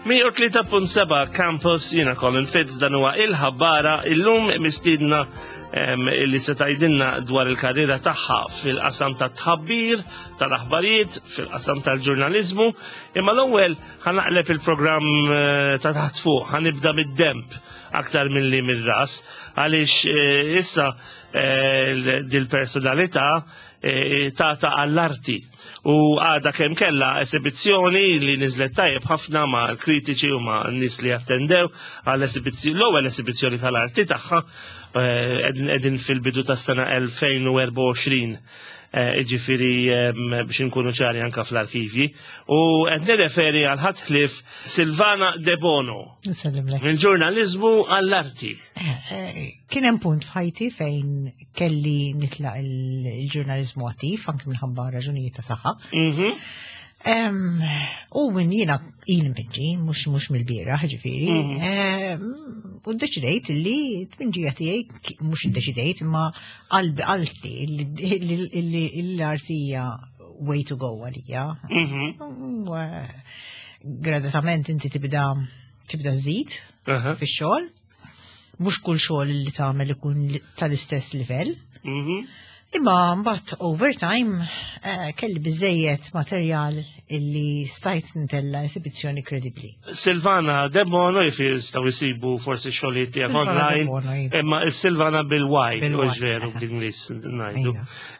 103.7 Campus jiena Colin Fitz dan huwa il-ħabbara illum mistiedna li se tgħidilna dwar il-karriera tagħha fil-qasam tat-tħabbir, tal-aħbarijiet, fil-qasam tal-ġurnaliżmu, imma l-ewwel ħanaqleb il-programm eh, ta' taħt fuq, ħanibda mid-demp aktar milli mir-ras, għaliex eh, issa eh, dil-personalità tata għall-arti. U għada kemm kella esibizzjoni li niżlet tajjeb ħafna ma' l-kritiċi u ma' n-nies li attendew għall-esibizzjoni, l-ewwel esibizzjoni tal-arti tagħha qegħdin fil-bidu tas-sena 2024. Iġifieri biex inkunu ċari anka fl-arkivji. U qed nirreferi għal ħadd ħlief Silvana De Bono. Mill-ġurnaliżmu għall-arti. Kien hemm punt f'ħajti fejn kelli nitlaq il-ġurnaliżmu attiv anke minħabba raġunijiet ta' saħħa. Mhm. U minn jiena il npinġi, mhux mhux mill-bieraħ ġifieri. Mhm. U ddeċidejt li t-tpinġija tiegħi mhux iddeċidejt imma qalbi qalti li l-arti hija way to go għalija. Mhm. Eh, gradatament inti tibda tibda żid fix-xogħol Mhux kull xogħol li tagħmel ikun tal-istess livell. Mhm. Imma mbagħad over time eh, kelli biżejjed materjal illi stajt ntella esibizzjoni kredibbli. Silvana Debono jifir jistgħu jsibu forsi xogħlijiet tiegħek online, iva. imma Silvana bil-Y, u veru bl-Ingliż ngħidu.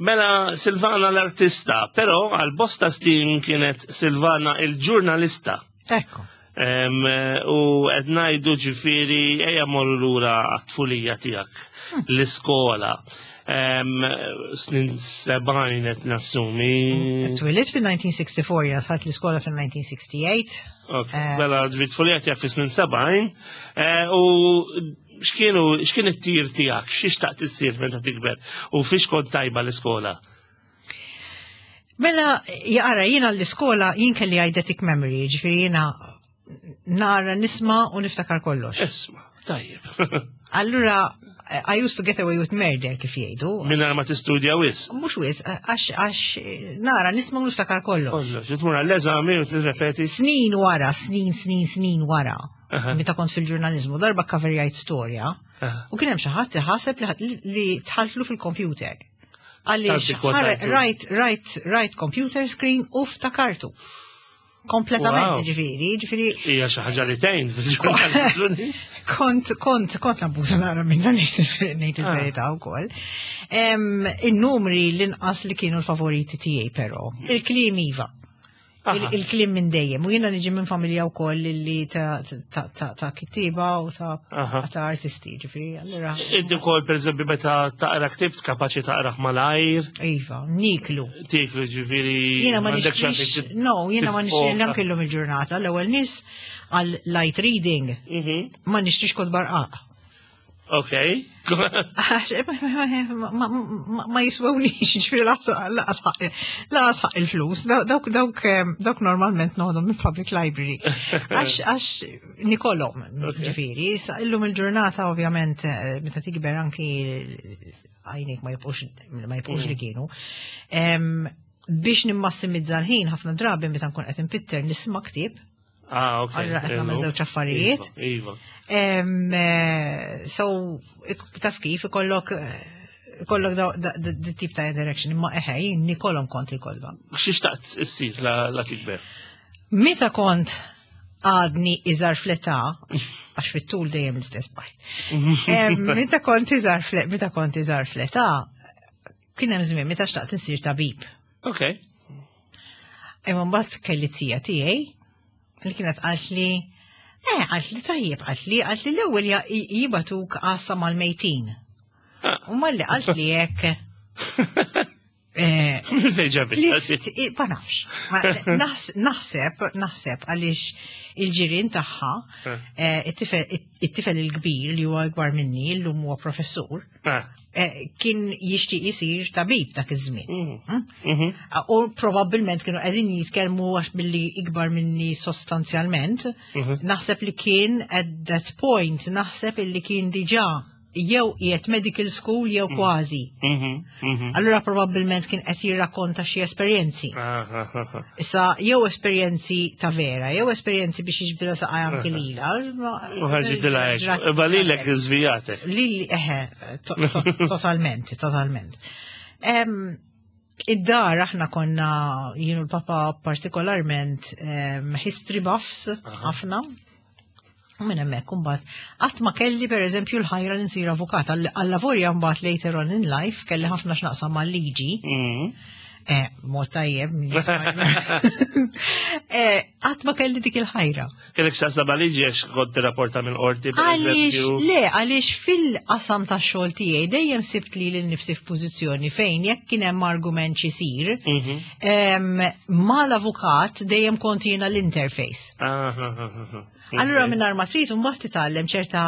Mela Silvana l-artista, però għal bosta snin kienet Silvana il-ġurnalista. Ekku. U qed ngħidu ġifieri ejja morru lura għat-tfulija tiegħek hmm. l-iskola. Snin sebgħin qed nassumi. Twilit fil-1964 jiena dħalt l-iskola fil-1968. Eh, mela ġifieri tfulija tiegħek fi snin 70 eh, u x'kienu x'kien it-tir tiegħek, xi xtaqt issir meta tikber u fiex kont tajba l-iskola? Mela, jaqra, jiena l-iskola jien kelli eidetic memory, ġifiri jiena nara nisma u niftakar kollox. Isma, tajjeb. Allura, I used to get away with murder kif jgħidu. Minna ma tistudja wis. Mux wis, għax għax nara nisma u niftakar kollox. Kollox, tmur għall-eżami u tirrepeti. Snin wara, snin, snin, snin wara. Meta kont fil-ġurnalizmu, darba coverjajt storja. U kien hemm xi ħadd ħaseb li tħaltlu fil-computer. Għaliex right, right, right computer screen u ftakartu. Kompletament, ġifiri, ġifiri. Ija xi ħaġa li tgħin Kont, kont, kont nabbuża nara minna ngħid il-verità ah. wkoll. In-numri l-inqas li kienu l-favoriti tiegħi però. Il-kliem iva. Il-klim minn dejjem. U jiena niġi minn familja wkoll li ta' kittiba u ta' artisti, ġifieri, allura. Inti wkoll pereżempju meta taqra ktibt kapaċi taqrah malajr. Iva, niklu. Tiklu ġifieri. Jiena ma nixtrix. No, jiena ma nixtrix anke llum il-ġurnata l-ewwel nies għal light reading. Mhm. Ma nixtrix kod barqaq. Ok. Ma jiswewniex, ġifiri laqas il-flus. Dawk dawk dawk normalment noħdom minn public library. Għax għax nikolhom, ġifiri. Illum il-ġurnata ovvjament eh, meta tikber anki għajnik ma jibqux ma jibqux li mm. kienu. Biex nimmassimizza l-ħin ħafna drabi meta nkun qed impitter nisma' ktieb Ah, ok. Allura qed nagħmel żewġ affarijiet. Iva. Eh, so, taf kif ikollok eh, ikollok di tip ta' interaction, imma eħe, nikolhom kont il-kolba. Xi xtaqt issir la tikber? Meta kont għadni iżar fleta, għax fit-tul dejjem l-istess bajt. Meta kont iżar meta kont iżar fleta, kien hemm żmien meta xtaqt insir tabib. Ok. Imma mbagħad kelli tija tiegħi li kienet qalt li eh qalt li tajjeb qalt li qalt li l-ewwel jibatuk għassa mal-mejtin. Ah. U malli qalt li hekk. Eh, ma nafx. Naħseb, naħseb għaliex il-ġirien tagħha, eh. Eh, it-tifel il-kbir li huwa ikbar minni, llum huwa professur, ah. Eh, kien jixtieq jisir tabib dak iż-żmien. Mhm. Hmm? Mhm. Ah, u probabbilment kienu qegħdin jitkellmu għax billi ikbar minni sostanzjalment, mhm. naħseb li kien at that point, naħseb illi kien diġà jew qiegħed medical school jew kważi. Allura probabbilment kien qed jirrakkonta xi esperjenzi. Issa jew esperjenzi ta' vera, jew esperjenzi biex jiġbdilha saqaj anki lila. U ħarġitilha hekk. Imma lilek żvijatek. Lili eħe, totalment, totalment. Id-dar aħna konna jienu l-papa partikolarment history buffs ħafna. U minn hemmhekk imbagħad qatt ma kelli pereżempju l-ħajra li nsir avukat għall-lavorja mbagħad later on in life kelli ħafna x'naqsam mal-liġi. Mod tajjeb. Qatt ma kelli dik il-ħajra. Kellek x'taqsam mal-liġi għax kont tirrapporta minn qorti, per Għaliex eżempju? le, għaliex fil-qasam tax-xogħol tiegħi dejjem sibt li lil nifsi f'pożizzjoni fejn jekk kien hemm argument x'isir, mal-avukat dejjem kont jiena l-interface. Allura minn ma trid mbagħad titgħallem ċerta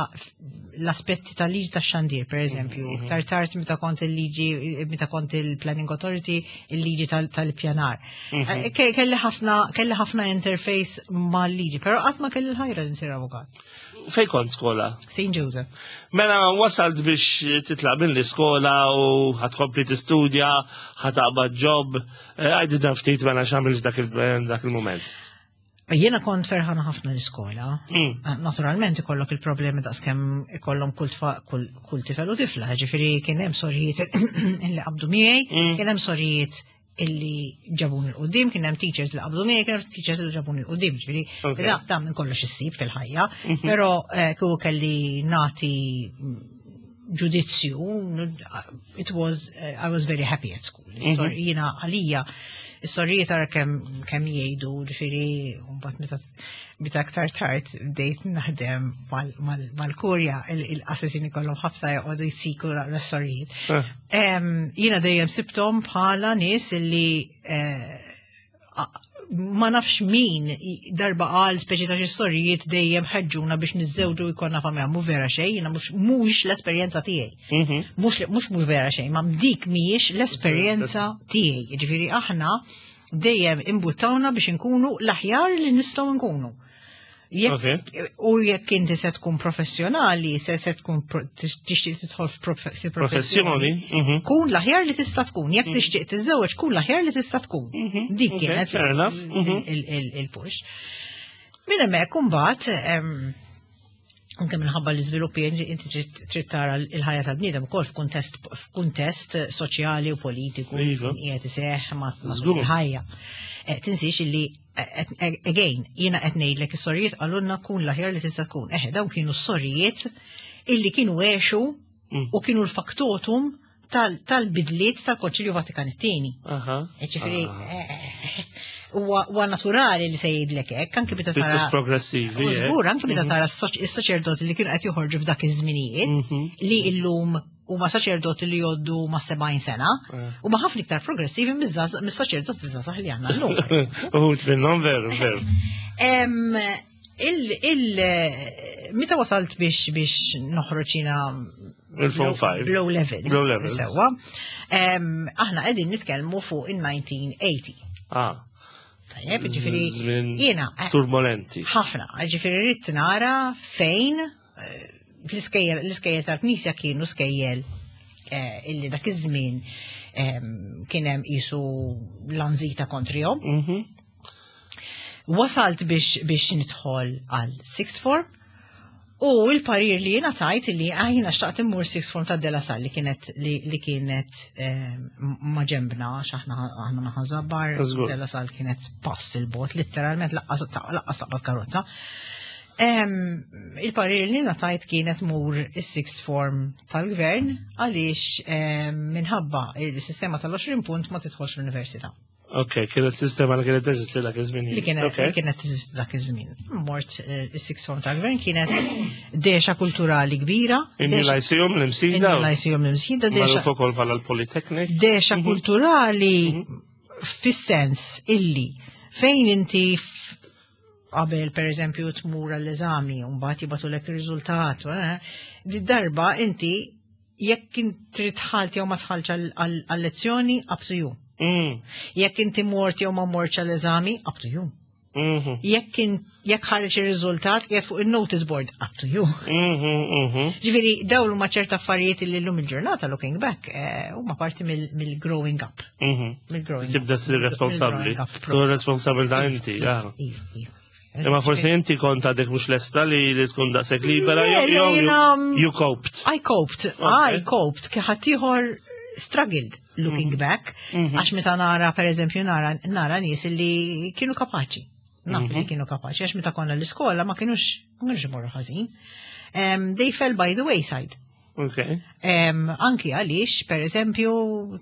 l-aspetti tal-liġi tax-xandir, per eżempju, tar tard meta kont il-liġi, meta kont il-Planning Authority, il-liġi tal-pjanar. Kelli ħafna interface mal-liġi, però qatt ma kelli l-ħajra li nsir avukat. Fej kont skola? St. Joseph. Mela wasalt biex titlaq minn l-iskola u ħa tkompli tistudja, ħa taqbad job. Għidilna ftit mela x'għamilt dak il-moment. Jiena kont ferħana ħafna l-iskola. Naturalment ikollok il-problemi daqskemm ikollhom kull tifel u tifla, ġifieri kien hemm sorijiet illi qabdu miegħi, kien hemm sorijiet illi ġabun il-qudiem, kien hemm teachers li qabdu miegħi, kien hemm teachers li ġabun il-qudiem, ġifieri da minn kollox issib fil-ħajja, però kieku kelli nagħti ġudizzju, I was very happy at school. Jiena għalija, is-sorijiet tara kemm jgħidu, ġifieri, mbagħad meta aktar tard bdejt naħdem mal-kurja, il-qassisin kollhom ħafna joqogħdu jsiku l-sorijiet. Jiena dejjem sibthom bħala nies illi ma nafx min darba qal speċi ta' xi sorijiet dejjem ħeġġuna biex niżżewġu jkollna familja, mhu vera xejn, jiena mhux l-esperjenza tiegħi. Mhux vera xejn, ma dik mhijiex l-esperjenza tiegħi. Jiġifieri aħna dejjem imbuttawna biex inkunu l-aħjar li nistgħu nkunu. U jekk inti se tkun professjonali, se tkun tixtieq tidħol fi professjoni, kun l-aħjar li tista' tkun. Jekk tixtieq tiżżewweġ, kun l-aħjar li tista' tkun. Dik kienet Fair enough. Il-push. Minn hemmhekk imbagħad anke minħabba l-iżviluppi inti trid tara l-ħajja tal-bniedem ukoll f'kuntest soċjali u politiku qiegħed iseħħ ma' il-ħajja. Tinsiex illi again, jiena qed ngħidlek is-sorijiet qalulna kun l-aħjar li tista' tkun. Eħe, dawn kienu s-sorijiet illi kienu għexu u kienu l-faktotum tal-bidliet tal-Konċilju Vatikan it-tieni. Ġifieri, huwa naturali li se jgħidlek hekk, anke meta tara Pjuttost progressivi, U żgur, anke meta tara s-saċerdoti li kienu qed joħorġu f'dak iż-żminijiet li illum huma saċerdoti li jgħoddu ma' 70 sena, huma ħafna iktar progressivi mis-saċerdoti żgħażagħ li għandna llum. Uħud minnhom veru, veru. Meta wasalt biex noħroġ jiena Il-Form 5. Low levels. Low levels. Sewwa. Aħna qegħdin nitkellmu fuq in-1980. Tajjeb, ġifieri Żmien jiena, turbolenti. Ħafna, ġifieri rrid nara fejn l-iskejjel tal-Knisja kienu skejjel illi dak iż-żmien kien hemm qisu lanzita kontrihom. Wasalt biex nidħol għal sixth form u l-parir li jiena tajt li jiena xtaqt immur sixth form ta' De La Salle li kienet li kienet ma' ġembna, għax aħna naħa Żabbar, De La Salle kienet pass il-bot, literalment laqqas taqbad karozza. Il-parir li jiena tajt kienet mur is-sixth form tal-gvern għaliex minħabba il-sistema tal-20 punt ma tidħolx l-università. Ok, kienet sistema li kienet teżisti dak iż-żmien. Li kienet teżisti dak iż-żmien. Mort is-sixth form tal-gvern kienet dexa kulturali kbira. Inni Lyceum l-Imsida. Inni Lyceum l-Imsida, dexa Magħruf ukoll bħala l-Polytechnic. Dexa kulturali fis-sens illi fejn inti qabel per eżempju tmur għall-eżami u mbagħad jibgħatulek ir-riżultat, di darba inti jekk trid tħalt jew ma tħalx għall-lezzjoni, up to you. Jekk inti mort jew ma mortx għall-eżami, up to you. Jekk kien jekk ħareġ ir-riżultat qiegħed fuq il-notice board, up to you. Ġifieri dawn huma ċerta affarijiet li llum il-ġurnata looking back eh, huma parti mill-growing up. Mill-growing Tibda tsir responsabbli. Tu responsabilità inti, ah. Iva, iva. Imma forsi inti kont għadek mhux lesta li li tkun daqshekk libera jew you coped. I coped, I coped, ħadd ieħor struggled looking mhm. back, mhm. għax meta nara per eżempju nara nara nies li kienu kapaċi. Naf li mhm. kienu kapaċi, għax meta konna l-iskola ma kienux ma kienux imorru ħażin. They fell by the wayside. Okay. Anki għaliex, per eżempju,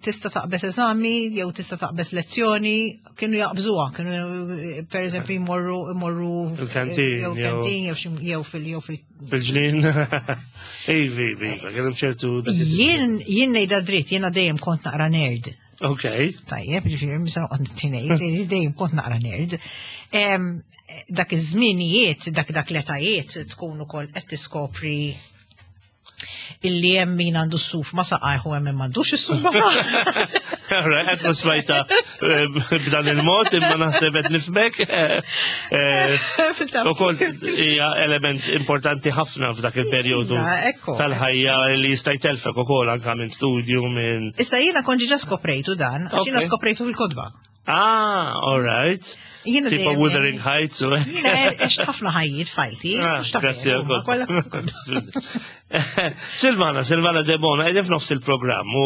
tista' taqbes eżami jew tista' taqbes lezzjoni, kienu jaqbżuha, kienu per eżempju jmorru jmorru il-kantin jew kantin jew fil jew fil fil-ġnien. Ivi, ivi, kien ċertu. Jien jien ngħidha dritt, jiena dejjem kont naqra nerd. Ok. Tajjeb, ġifieri misa noqgħod ngħid, dejjem kont naqra nerd. Dak iż-żminijiet, dak dak l-etajiet tkun ukoll qed tiskopri illi hemm min għandu s-suf ma saqajh u hemm min m'għandux is-suf ma saqajh. Qed ma smajta eh, b'dan il-mod imma naħseb qed nifhmek. Eh, eh, ukoll hija element importanti ħafna f'dak il-perjodu iva, tal-ħajja li jista' jtelfek ukoll anke minn studju minn. Issa jiena kont ġa skoprejtu dan, għax jiena skoprejtu fil-kotba. Ah, all right. Jiena Tipo Wuthering Heights u. Jiena għext ħafna ħajjiet f'ħajti. Ah, grazzi Silvana, Silvana Debona, qegħdin f'nofs il-programm u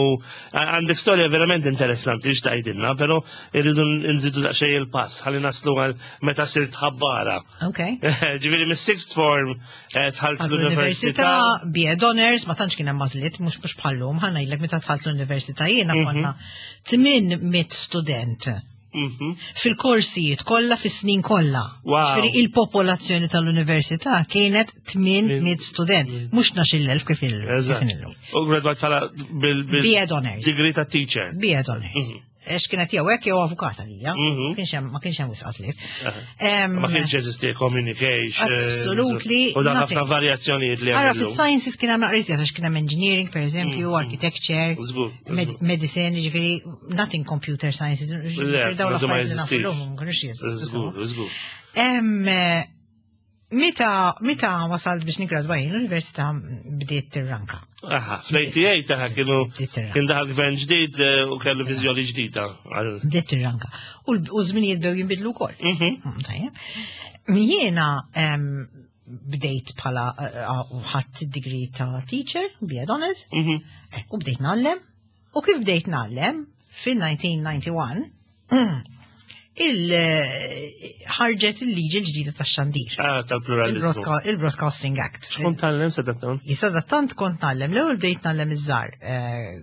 għandek storja verament interessanti x'tajdilna, però irridu nżidu daqsxejn il-pass ħalli naslu għal meta sirt ħabbara. Ok. Ġifieri mis-sixth form eh, dħalt l-università. B.Ed Honors, ma tantx kien hemm għażliet, mhux mhux bħallum, ħa ngħidlek meta dħalt l-università jiena mhm. konna 800 student. Mhm. Fil-korsijiet kollha fis-snin kollha. Ġifieri il-popolazzjoni tal-università kienet 800 student, mhux 12,000 kif il-lum. U gradwat bħala bil-B.Ed Honors. Degree ta' teacher. B.Ed Honors. Mhm. Għax kienet jew hekk jew avukata lija. Mhm. Kienx hemm ma kienx hemm wisq għażliet. Ma kienx jeżisti communication. Absolutely. U dan ħafna varjazzjonijiet li Ara fis-sciences kien hemm naqra għax kien hemm engineering pereżempju, mhm. architecture, medicine, ġifieri nothing computer sciences. Le, ma jeżistix. Żgur, żgur. Meta, meta wasalt biex nigradwa jien l-università bdiet tirranka. Aha, fl-88 taħ kienu kien daħal gvern ġdid eh, u kellu viżjoni ġdida. Bdiet tirranka. U l-żminijiet bdew jinbidlu wkoll. Mhm. Mm, tajjeb. Jiena bdejt bħala eh, eh, ħadd degree ta' teacher, B.Ed Honors, mhm. u bdejt ngħallem. U kif bdejt ngħallem fil-1991, il-ħarġet il-liġi l-ġdida tax-xandir. Ah, tal-pluralizmu. Il-Broadcasting Act. X'kont tgħallem sadattant? Sadattant kont ngħallem. L-ewwel bdejt ngħallem iż-żgħar eh,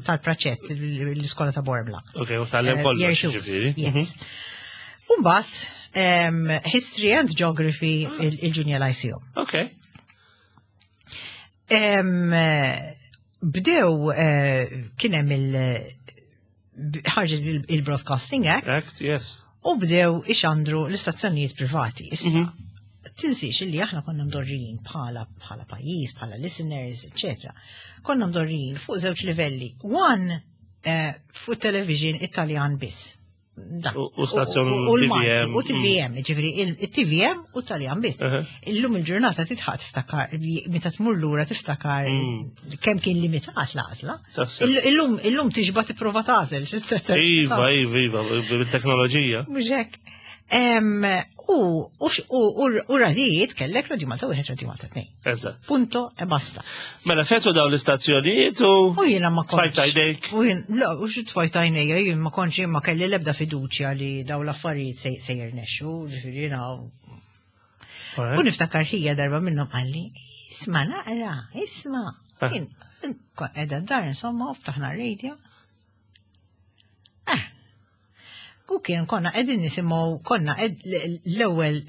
tal-praċett l-iskola ta' Borbla. Ok, u tgħallem eh, kollox ġifieri. Yes. Mhm. Umbagħad History and Geography ah. il-Junior Lyceum. Ok. Bdew eh, kien hemm il- ħarġet il-Broadcasting Act. Act, yes. U bdew ixandru l-istazzjonijiet privati. Issa, mhm. tinsiex li aħna konna mdorrijin bħala bħala pajjiż, bħala listeners, etc. Konna mdorrijin fuq żewġ livelli. One, eh, fuq television Italjan biss. U stazzjon u l-Malti, u TVM, mm. ġifiri, il-TVM u Taljan biss. Illum il-ġurnata titħaq tiftakar, meta tmur lura tiftakar mm. kemm kien limitat l-għażla. Illum illum tixba tipprova tagħżel. Iva, iva, iva, bit-teknoloġija. Mhux hekk. U u radijiet kellek Radio Malta wieħed Radio Malta tnejn. Eżatt. Punto e basta. Mela fetu dawn l-istazzjonijiet u. U jiena ma kontx. Tfajt għajdejk. U jien, la, u xi tfajt għajnejja, jien ma kontx jien ma kelli l-ebda fiduċja li dawn l-affarijiet se jirnexxu, ġifieri jiena. U niftakar ħija darba minnhom qalli, isma' naqra, isma'. Ah. Jien qiegħda d-dar insomma u ftaħna r-radio. Ah, U kien konna qegħdin nisimgħu konna l-ewwel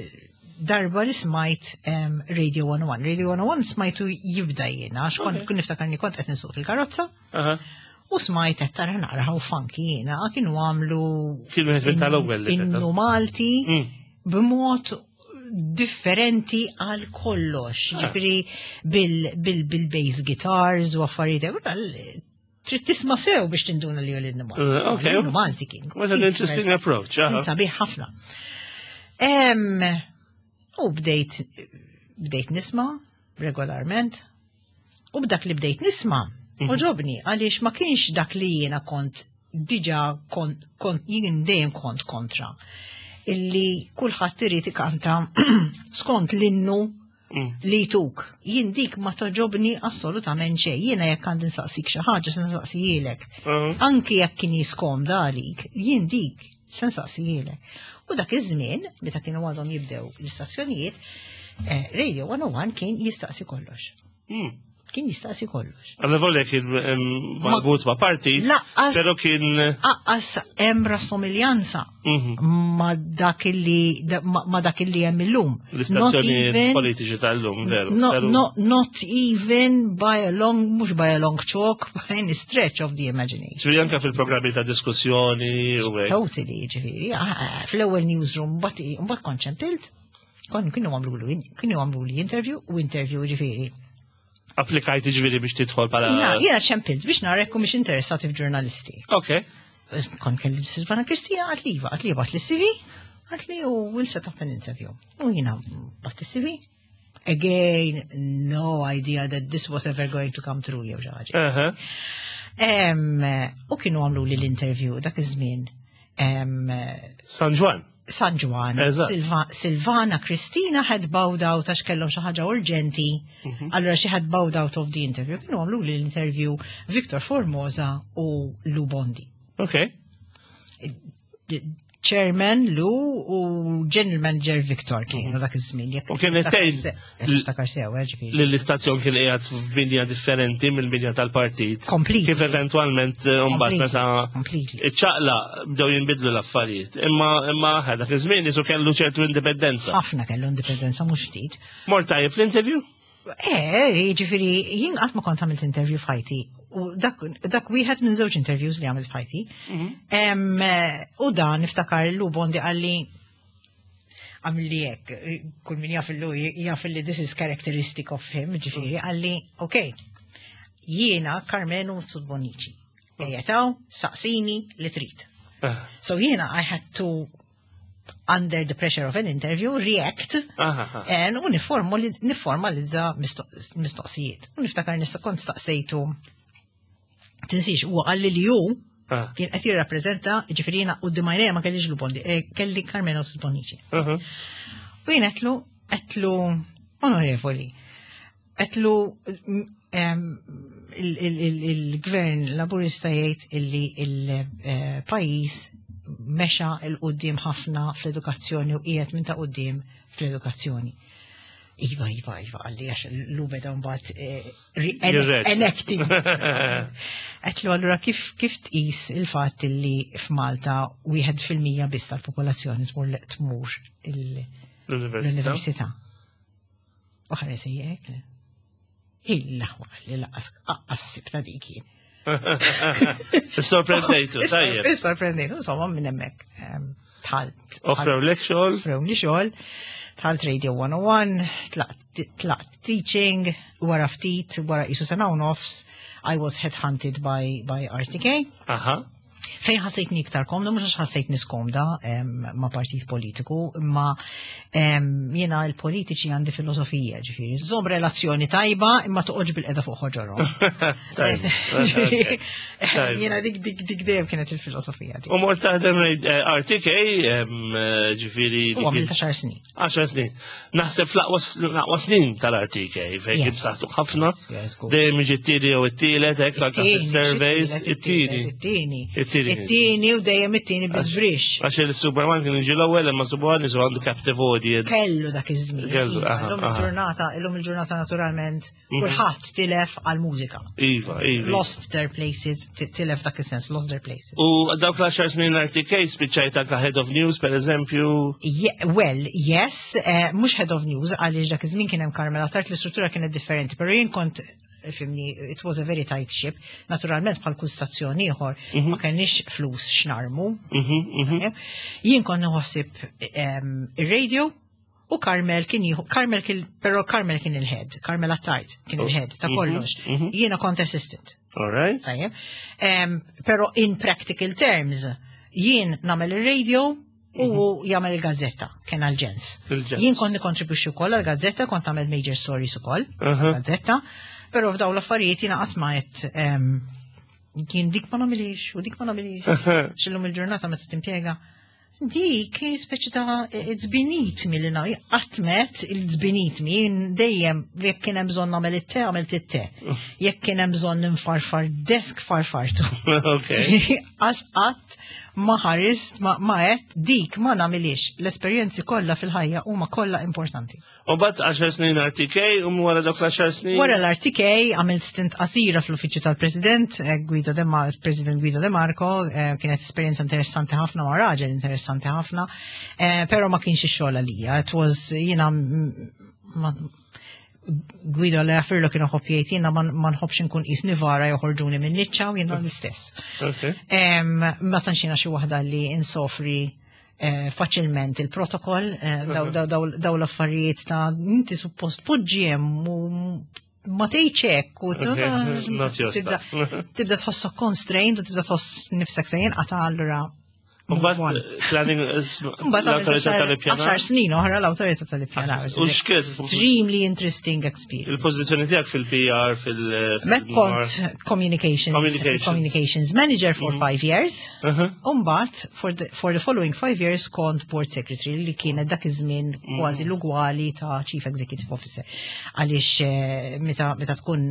darba li smajt Radio 101. Radio 101 smajtu jibda jiena, għax kont kun niftakarni kont qed nisuq fil-karozza. U smajt qed tara naqra how funky jiena, kienu għamlu. Kienu qed tal-ewwel li Innu Malti mm. b'mod differenti għal kollox. Ah. Ġifieri bil-bass guitars u affarijiet trid tisma' sew biex tinduna li l-innu Malti. Eh, L-innu Malti kien. What an interesting approach. Sabiħ ħafna. U bdejt bdejt nisma' regolarment. U b'dak li bdejt nisma', għoġobni għaliex ma kienx dak li jiena kont diġà kont jien dejjem kont kontra. Illi kulħadd irid ikanta skont l-innu li tuk. Jien dik ma togħġobni assolutament xejn. Jiena jekk għandi nsaqsik xi ħaġa se nsaqsihielek. Anki jekk kien jiskomda għalik, jien dik se nsaqsihielek. U dak iż-żmien, meta kienu għadhom jibdew l-istazzjonijiet, Radio 101 kien jistaqsi kollox. Kien jistaqsi kollox. Għalla volja kien marbut ma' partit, Laqqas pero kien aqqas hemm rassomiljanza ma dak li ma dak li hemm illum. Not l-istazzjoni even- politiċi tal-lum, veru. No, no, not even by a long, mhux by a long chalk, by any stretch of the imagination. Ġifieri anke fil-programmi ta' diskussjoni u hekk. Totally, ġifieri, ah, fl-ewwel newsroom, mbagħad kont ċempilt, kon kienu għamlu li interview u interview ġifieri. Applikajt ġifieri biex tidħol bħala. Jiena ċempilt biex nara jekk mhux interessati f'ġurnalisti. Ok. Kont kelli Silvana Kristina qaltli iva, qaltli ibgħat li CV, qaltli u we'll set up an interview. U jiena bgħatt CV. Again, no idea that this was ever going to come true jew xi ħaġa. U kienu għamlu li l-interview dak iż-żmien. San Ġwann. San Ġwann, Silvana Kristina had bowed out għax kellhom xi ħaġa urġenti. Allura she had bowed out of the interview. Kienu għamlu li l-interview Victor Formosa u Lou Bondi. Ok. Chairman Lou u General Manager Victor kienu dak iż-żmien. U kien tgħid Takar sew, ġifieri. li l-istazzjon kien qiegħed f'binja differenti mill-binja tal-partit. Completely. Kif eventwalment mbagħad meta Completely. iċċaqla bdew jinbidlu l-affarijiet. Imma dak iż-żmien isu kellu ċertu indipendenza. Ħafna kellu indipendenza mhux ftit. Mort tajjeb fl-interview? Ġifieri, jien qatt ma kont għamilt interview f'ħajti. U dak wieħed minn żewġ interviews li għamilt f'ħajti. U dan niftakar Lou Bondi qalli għamilli hekk, kull min jaf illu jaf li this is characteristic of him, ġifieri, qalli, ok, jiena Karmenu Mifsud Bonnici. Ejjetaw, saqsini li trid. So jiena I had to, under the pressure of an interview, react and u niformalizza mistoqsijiet. U niftakar nista kont staqsejtu, tinsix, u qalli li ju kien qed jirrappreżenta, ġifieri jiena quddiem għajnejja ma kellix Lou Bondi, kelli Karmenu Mifsud Bonnici. U jien għedtlu, onorevoli, għedtlu il-gvern laburista jgħid illi il-pajjiż mexa 'l quddiem ħafna fl-edukazzjoni u qiegħed minn ta' quddiem fl-edukazzjoni. Iva, iva, iva, qalli għax Lou beda mbagħad Jirreċ. enacting. Għedtlu allura kif tqis il-fatt li f'Malta 1% biss tal-popolazzjoni tmur L-università. l-università. U ħares hekk. Il-laħwa li lanqas ħsib ta' dik jien. Sorprendejtu, tajjeb. Sorprendejtu, insomma minn hemmhekk dħalt. Offrew lek xogħol? Offrewli xogħol. Dħalt Radio 101, tlaqt teaching, wara ftit, wara isu sena u nofs, I was headhunted by RTK. Fejn ħassejtni iktar komda, mhux għax ħassejtni skomda ma' partit politiku, imma jiena l-politiċi għandi filosofija, ġifieri. Żomm relazzjoni tajba, imma toqgħodx bil-qeda fuq ħoġorhom. Tajba. Tajba. Jiena dik dejjem kienet il-filosofija tiegħi. U mort taħdem RTK, ġifieri U għamilt 10 snin. 10 snin. Naħseb fl-aqwa snin tal-RTK, fejn kien saħtu ħafna. Yes, good. Dejjem jiġi t-tieni jew it-tielet, hekk anke It-tieni, fis-surveys, it-tieni, it-tieni. it-tieni. It-tieni. It-tieni u dejjem it-tieni biżbrix. Għax il-Superman kien jiġi l-ewwel, imma Superman isu għandu captive audience. Kellu dak iż-żmien. Kellu, Iva, aha, illum aha. il-ġurnata naturalment, kulħadd tilef għal-mużika. Iva, iva. Lost their places, tilef dak is-sens, lost their places. U dawk l-10 snin RTK spiċċajt anka Head of News, per eżempju. Yeah, well, yes, mhux Head of News, għaliex dak iż-żmien kien hemm Carmela Tart, l-istruttura kienet differenti, però jien kont, fimni, it was a very tight ship. Naturalment bħal kull stazzjon ieħor, ma kenniex flus x'narmu. Jien kont nħossib ir-radio u Carmel kien jieħu, Carmel kien, però Carmel kien il-head, Carmel Attard kien il-head ta' kollox. Jiena kont assistant. All right. Tajjeb. Però in practical terms, jien nagħmel ir-radio, U mhm. jagħmel il-gazzetta, kien għal-ġens. Jien kont nikkontribwixxi wkoll għall-gazzetta, kont nagħmel major stories ukoll, gazzetta, però f'dawn l-affarijiet jiena qatt ma qed kien dik ma nagħmilix u dik ma nagħmilix. X'illum il-ġurnata meta timpjega Dik speċi ta' it's beneath me li nagħmel, qatt met it's beneath me, dejjem jekk kien hemm bżonn nagħmel it-te għamilt it-te. Jekk kien hemm bżonn nfarfar desk farfartu. Qas qatt ma ħarist ma qed dik ma nagħmilix. L-esperjenzi kollha fil-ħajja huma kollha importanti. U bat 10 snin RTK, u wara dak l-10 snin? Wara l-RTK għamilt stint qasira fl-uffiċċju tal-President, eh, Guido De Mar President Guido De Marco, eh, kienet esperjenza interessanti ħafna ma' raġel interessanti ħafna, eh, pero ma kienx ix-xogħol għalija. It was jiena Guido li għafirlu kienu ħobb jgħid jiena ma nħobbx inkun qisni vara joħorġuni minn niċċa u jiena l-istess. Ma tantx jiena xi waħda li insofri Eh, faċilment il-protokoll, eh, daw l-affarijiet ta' inti suppost poġġi hemm u ma tgħidx hekk u tibda tħossok constrained u tibda tħoss nifsek se jinqata' allura Mbagħad planning l-awtorità tal-ippjanar. Għaxar snin oħra l-awtorità tal-ippjanar. U x'kien? Extremely interesting experience. Il-pożizzjoni tiegħek fil-PR fil- Mek kont communications, communications manager for mhm. five years. Umbat, for the, for the following five years kont board secretary li kienet dak iż-żmien mhm. kważi l-ugwali ta' chief executive officer. Għaliex eh, meta meta tkun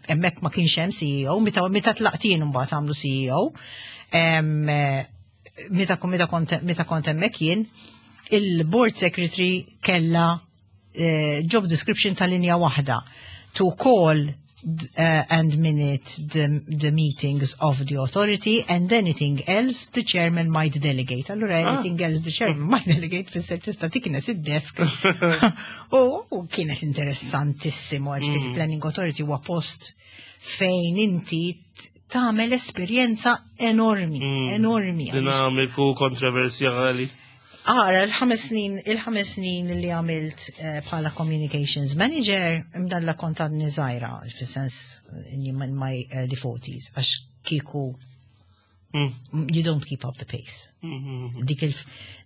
hemmhekk ma kienx hemm CEO, meta meta tlaqtien imbagħad għamlu CEO. Eh, meta meta kont meta kont hemmhekk jien, il-board secretary kella eh, job description ta' linja waħda to call and minute the, the meetings of the authority and anything else the chairman might delegate. Allura ah. anything else the chairman might delegate fisser tista' tiknes id-desk. U kienet interessantissimo għax mm. planning authority huwa post fejn inti tagħmel esperjenza enormi, mm. enormi. Dinamiku, kontroversjali. Ara, il-ħames snin, il-ħames snin li għamilt eh, bħala communications manager, imdalla kont għadni żgħira, fis-sens in my early 40s, għax kieku mm. you don't keep up the pace. Mm-hmm.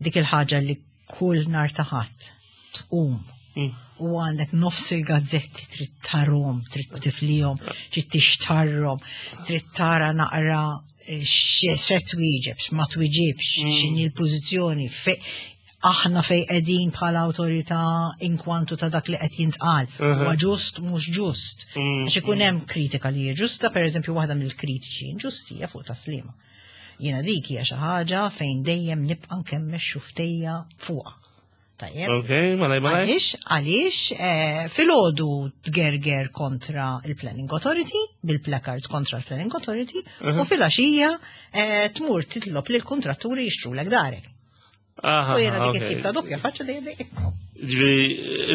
Dik il-ħaġa li kull nar taħat tqum mm. u għandek nofs il-gazzetti trid tarhom, trid tiflihom, trid tixtarhom, trid tara naqra se twieġeb, ma twieġibx, mm. x'inhi l-pożizzjoni, aħna fej qegħdin bħala awtorità inkwantu ta' dak li qed jintqal. Huwa ġust mhux ġust. Mm, Għax ikun mm. hemm kritika li hija ġusta, pereżempju waħda mill-kritiċi inġusti hija fuq taslima. Jiena dik hija xi ħaġa fejn dejjem nibqa' nkemmex xuftejja fuqha. Tajjeb. Ok, malaj malaj. Għaliex, għaliex, eh, filgħodu tgerger kontra il-Planning Authority, bil-placards kontra l-Planning Authority, u filgħaxija eh, tmur titlob lil kontratturi jixtrulek darek. Aha, U jiena dik it-tip ta' doppja faċċa dejjem dejjem. Ġifieri,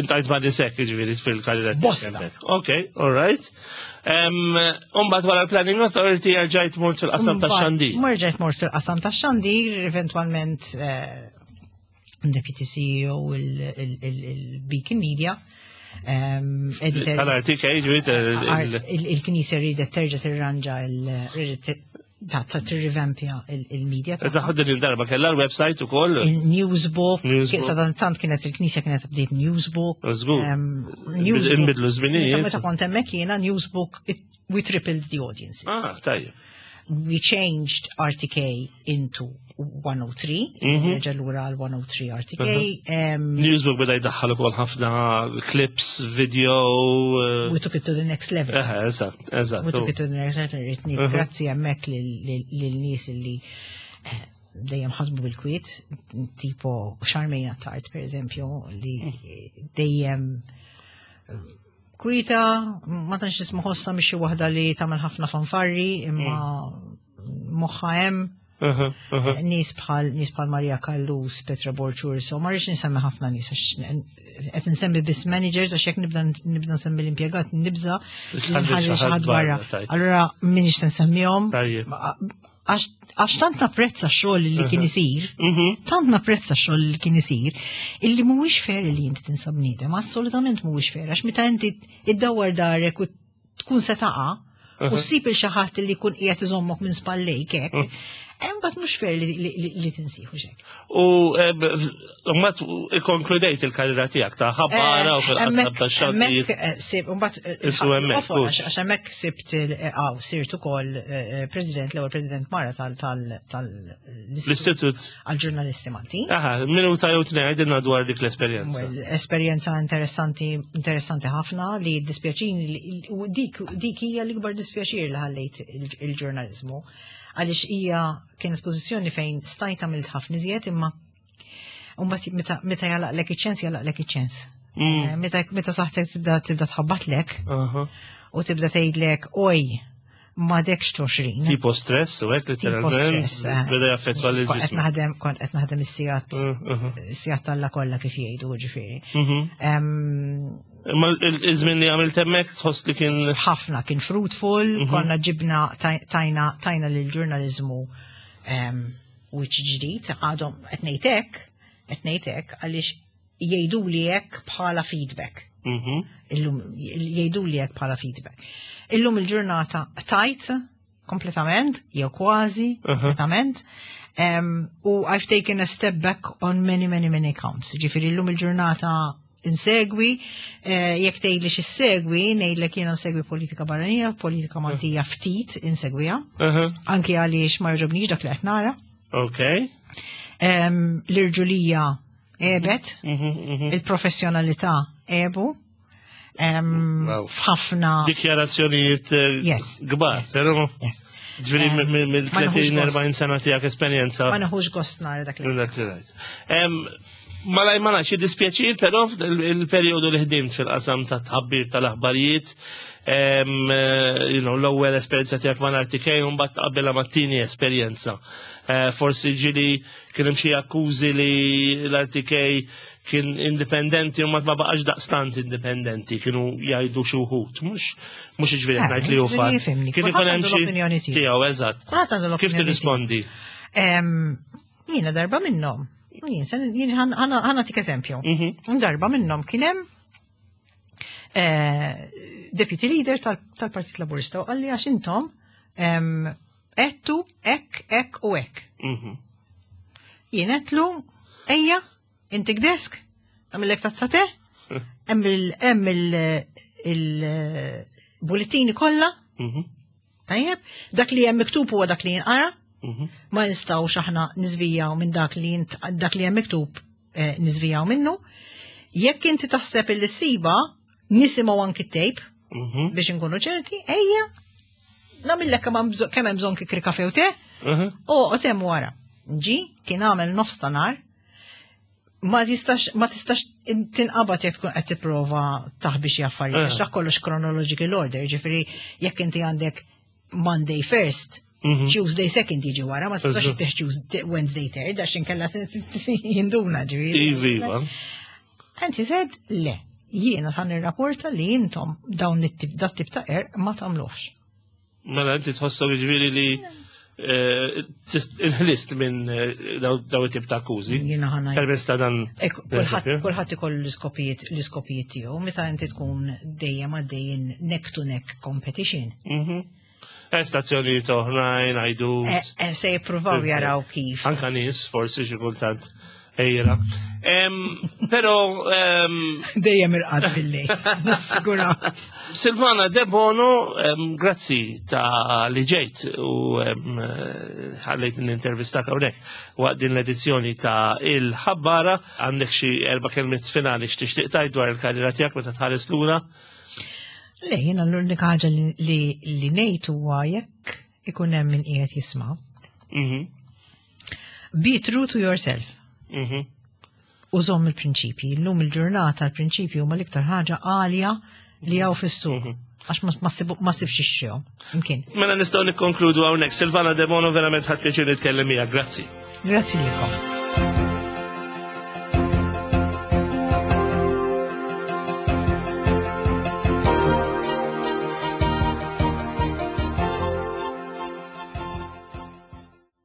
intajt ma' nisek, ġifieri, fil-karriera. Bosta. Ok, all right. Umbagħad wara l-Planning Authority rġajt mort fil-qasam ta' xandir. Marġajt mort fil-qasam ta' xandir, eventualment eh, Deputy CEO il-Beacon Media. Tal-RTK, ġifieri. Il-Knisja ridet terġa' tirranġa ta' tirrivampja il-media. Taħod din il-darba kellha l-website ukoll. Il-newsbook. Sadantant kienet il-Knisja kienet bdiet newsbook. Żgur. Inbidlu żminijiet. Meta kont hemmhekk jiena newsbook we tripled the audience. Ah, tajjeb. We changed RTK into 103, mhm. reġa' lura għal 103 RTK. Mhm. Newsbook beda jdaħħal ukoll ħafna clips, video. Eh, we took it to the next level. Eh, eżatt, eżatt. We took it to the next level, ritni mhm. grazzi hemmhekk lil-nies li eh, dejjem ħadmu bil-kwiet, tipo Charmaine Attard, per eżempju, li mm. dejjem Kwita, ma tantx nisma' ħossa mhix xi waħda li tagħmel ħafna fanfarri, imma mm. moħħa hemm. Nies bħal nies bħal Maria Kallus, Petra Borċurso, ma rridx nsemmi ħafna nies għax qed nsemmi biss managers għax jekk nibda nibda nsemmi l-impjegat nibża nħalli xi ħadd barra. Allura minix se nsemmihom. Għax tant napprezza x-xogħol li kien isir, mhm. tant napprezza x-xogħol li kien isir, illi mhuwiex fair li inti tinsa bniedem, assolutament mhuwiex fair, għax meta inti iddawwar darek u tkun se taqa' u ssib il xi ħadd li jkun qiegħed iżommok minn spallejk hekk, mhm. Imbagħad mhux fair li tinsiħu xek. U mbagħad ikkonkludejt il-karriera tiegħek ta' ħabbara u fil-qasam ta' xandir. Hemmhekk mbagħad għax hemmhekk sibt għaw sirt ukoll president l-ewwel president mara tal-istitut għal-ġurnalisti Maltin. Aha, minuta jew tnejn għidilna dwar dik l-esperjenza. Esperjenza interessanti interessanti ħafna li dispjaċini u dik dik hija l-ikbar dispjaċir li ħallejt il-ġurnaliżmu għaliex hija kienet pożizzjoni fejn stajt għamilt ħafna iżjed imma mbagħad meta meta jalaqlek iċ-ċens jalaqlek iċ-ċens. Meta meta saħtek tibda tibda tħabbatlek u tibda tgħidlek oj m'għadekx 20. Tipo stress u hekk letteralment. Beda jaffettwa lil Kont qed naħdem kont qed naħdem is-sigħat is-sigħat talla kollha kif jgħidu ġifieri. Imma iż-żmien li għamilt hemmhekk tħoss li kien ħafna kien fruitful, konna ġibna tajna tajna lil ġurnaliżmu wiċċ ġdid, għadhom qed ngħid hekk, qed ngħid hekk għaliex jgħidu li hekk bħala feedback. Illum jgħidu li hekk bħala feedback. Illum il-ġurnata tajt kompletament, jew kważi kompletament. U I've taken a step back on many, many, many accounts. Ġifieri illum il-ġurnata insegwi, jekk tgħidli x'issegwi, ngħidlek jiena nsegwi politika barranija, politika Maltija ftit insegwiha. Anki għaliex ma jogħġobnix dak li qed nara. L-irġulija għebet, il-professjonalità għebu, f'ħafna dikjarazzjonijiet kbar, però ġifieri mill-30 40 sena tiegħek esperjenza. Ma neħux gost nara dak li. Dak li rajt. Malaj ma nafx dispjaċir, però il-perjodu li ħdimt fil-qasam ta' tħabbir tal-aħbarijiet, l-ewwel esperjenza tiegħek ma' RTK u mbagħad tqabbilha mat-tieni esperjenza. Forsi ġieli kien hemm xi akkużi li l-RTK kien indipendenti u ma baqax daqstant indipendenti, kienu jgħidu xi wħud, mhux jiġifieri qed ngħid li hu fatt. Kien ikun hemm xi tiegħu eżatt. Kif tirrispondi? Jiena darba minnhom. Jien ħa nagħtik eżempju. Darba minnhom kien hemm deputy leader tal-Partit Laburista u qalli għax intom għedtu hekk, hekk u hekk. Jien għedtlu, ejja, intik desk, għamillek tazza te, hemm il-bullettini kollha. Tajjeb, dak li hemm miktub huwa dak li jinqara. Ma nistgħux aħna niżvijaw minn dak li dak li hemm miktub niżvijaw minnu. Jekk inti taħseb il siba, nisimgħu anki tape biex inkunu ċerti, ejja, nagħmillek kemm hemm bżonn kikri kafe u te, u hemm wara. Ġi, kien għamel nofs ta' nar, ma tistax ma tistax tinqabad jekk tkun qed tipprova taħbi xi affarijiet, għax dak kollox chronological order, ġifieri jekk inti għandek Monday first, Tuesday second jiġi wara, ma tistax ittih Tuesday Wednesday third, għax inkella jinduna ġifieri. Iva. And he said, le, jiena ħa nirrapporta li intom dawn it-tip dat tip ta' ma tagħmluhx. Mela inti tħossok ġifieri li inħlist minn daw it-tip ta' akkużi. Jiena ħa ngħid. Permezz ta' dan. Kulħadd ikollu l-iskopijiet l-iskopijiet tiegħu meta inti tkun dejjem għaddejjin neck to neck competition. Stazzjonijiet oħrajn, għajdu. Se jippruvaw jaraw kif. Anka nies, forsi xi kultant ejra. Però dejjem irqad billi, nassigura. Silvana Debono, grazzi ta' li ġejt u ħallejt n-intervistak hawnhekk waqt din l-edizzjoni ta' Il-Ħabbara. Għandek xi erba' kelmiet finali x'tixtieq tgħid dwar il-karriera tiegħek meta tħares lura? Le, jiena l-unika ħaġa li ngħid huwa jekk ikun hemm min qiegħed jisma'. Be true to yourself. U żomm il-prinċipji. Illum il-ġurnata l-prinċipji huma l-iktar ħaġa għalja li hawn fis-suq. Għax ma sibx ixxihom. Imkien. Mela nistgħu nikkonkludu hawnhekk. Silvana Debono verament ħadt pjaċir nitkellem miegħek. Grazzi. Grazzi lilkom.